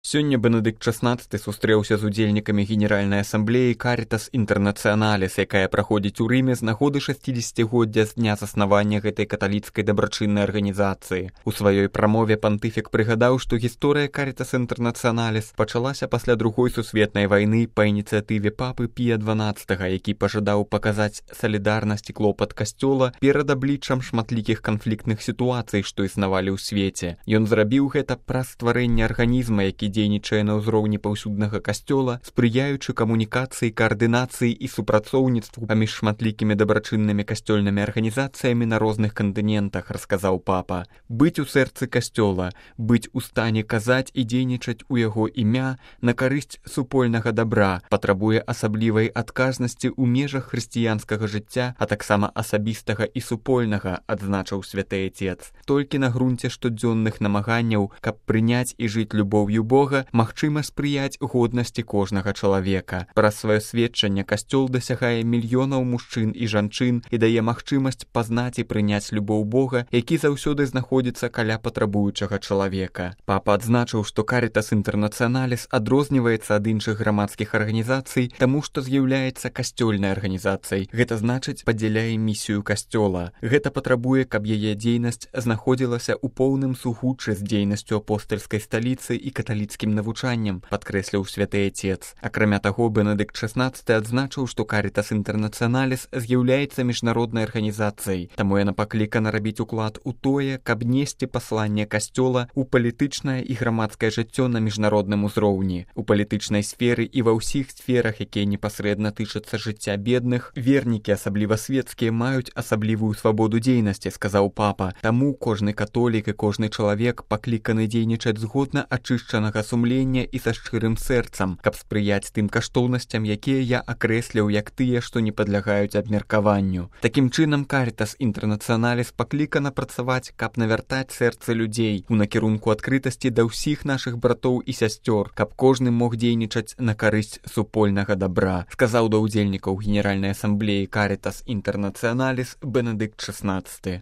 Сёння Бенедыкт XVI сустрэўся з удзельнікамі Генеральнай асамблеі Caritas Internationalis, якая праходзіць у Рыме з нагоды 60-годдзя з дня заснавання гэтай каталіцкай дабрачыннай арганізацыі. У сваёй прамове пантыфік прыгадаў, што гісторыя Caritas Internationalis пачалася пасля Другой сусветнай вайны па ініцыятыве папы Пія XII, які пажадаў паказаць салідарнасць і клопат касцёла перад абліччам шматлікіх канфліктных сітуацый, што існавалі ў свеце. Ён зрабіў гэта праз стварэнне арганізма, які дзейнічае на ўзроўні паўсюднага касцёла, спрыяючы камунікацыі, каардынацыі і супрацоўніцтву паміж шматлікімі дабрачыннымі касцёльнымі арганізацыямі на розных кантынентах, расказаў папа. Быць у сэрцы касцёла, быць у стане казаць і дзейнічаць у яго імя на карысць супольнага дабра патрабуе асаблівай адказнасці ў межах хрысціянскага жыцця, а таксама асабістага і супольнага, адзначыў святы Отец. Толькі на грунце штодзённых намаганняў, каб прыняць і жыць любоўю Бога, магчыма спрыяць годнасці кожнага чалавека. Праз сваё сведчанне касцёл дасягае мільёнаў мужчын і жанчын і дае магчымасць пазнаць і прыняць любоў Бога, які заўсёды знаходзіцца каля патрабуючага чалавека. Папа адзначыў, што Caritas Internationalis адрозніваецца ад іншых грамадскіх арганізацый, таму што з'яўляецца касцёльнай арганізацыяй. Гэта значыць, падзяляе місію касцёла. Гэта патрабуе, каб яе дзейнасць знаходзілася ў поўным сугуччы з дзейнасцю апостальскай сталіцы і каталіцкім навучаннем, падкрэсліў святы Отец. Акрамя таго, Бенедыкт XVI адзначыў, што Caritas Internationalis з'яўляецца міжнароднай арганізацыяй, таму яна паклікана рабіць уклад у тое, каб несці пасланне касцёла ў палітычнае і грамадскае жыццё на міжнародным узроўні. У палітычнай сферы і ва ўсіх сферах, якія непасрэдна тычацца жыцця бедных, вернікі, асабліва свецкія, маюць асаблівую свабоду дзейнасці, сказаў папа. Таму кожны католік і кожны чалавек пакліканы дзейнічаць згодна ачышчанага сумлення і са шчырым сэрцам, каб спрыяць тым каштоўнасцям, якія я акрэсліў як тыя, што не падлягаюць абмеркаванню. Такім чынам, Caritas Internationalis паклікана працаваць, каб навяртаць сэрцы людзей у накірунку адкрытасці да ўсіх нашых братоў і сясцёр, каб кожны мог дзейнічаць на карысць супольнага дабра, сказаў да ўдзельнікаў Генеральнай асамблеі Caritas Internationalis Бенедыкт XVI.